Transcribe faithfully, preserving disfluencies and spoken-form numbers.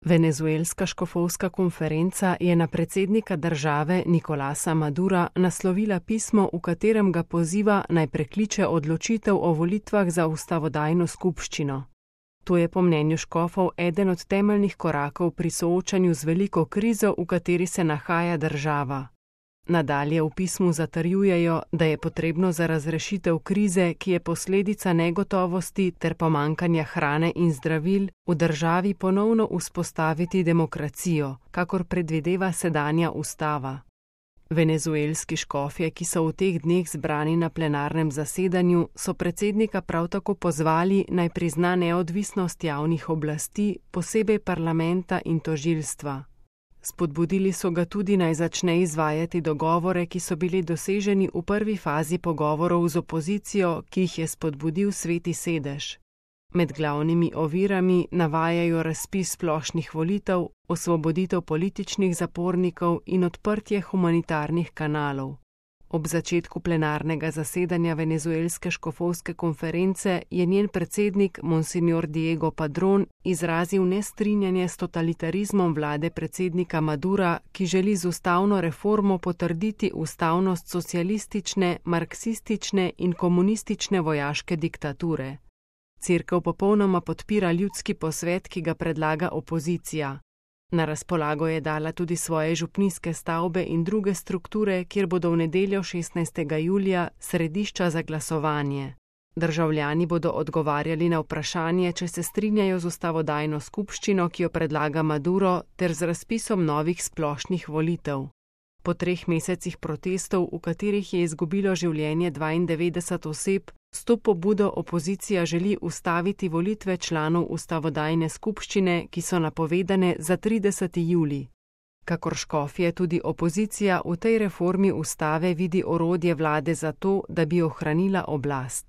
Venezuelska škofovska konferenca je na predsednika države Nicolasa Madura naslovila pismo, v katerem ga poziva, naj prekliče odločitev o volitvah za ustavodajno skupščino. To je po mnenju škofov eden od temeljnih korakov pri soočanju z veliko krizo, v kateri se nahaja država. Nadalje v pismu zatrjujejo, da je potrebno za razrešitev krize, ki je posledica negotovosti ter pomanjkanja hrane in zdravil, v državi ponovno vzpostaviti demokracijo, kakor predvideva sedanja ustava. Venezuelski škofje, ki so v teh dneh zbrani na plenarnem zasedanju, so predsednika prav tako pozvali, naj prizna neodvisnost javnih oblasti, posebej parlamenta in tožilstva. Spodbudili so ga tudi, naj začne izvajati dogovore, ki so bili doseženi v prvi fazi pogovorov z opozicijo, ki jih je spodbudil Sveti sedež. Med glavnimi ovirami navajajo razpis splošnih volitev, osvoboditev političnih zapornikov in odprtje humanitarnih kanalov. Ob začetku plenarnega zasedanja Venezuelske škofovske konference je njen predsednik Monsignor Diego Padrón izrazil nestrinjanje s totalitarizmom vlade predsednika Madura, ki želi z ustavno reformo potrditi ustavnost socialistične, marksistične in komunistične vojaške diktature. Cerkev popolnoma podpira ljudski posvet, ki ga predlaga opozicija. Na razpolago je dala tudi svoje župnijske stavbe in druge strukture, kjer bodo v nedeljo šestnajstega julija središča za glasovanje. Državljani bodo odgovarjali na vprašanje, če se strinjajo z ustavodajno skupščino, ki jo predlaga Maduro, ter z razpisom novih splošnih volitev. Po treh mesecih protestov, v katerih je izgubilo življenje dvaindevetdeset oseb, s to pobudo opozicija želi ustaviti volitve članov ustavodajne skupščine, ki so napovedane za trideseti julij. Kakor škofje, tudi opozicija v tej reformi ustave vidi orodje vlade za to, da bi ohranila oblast.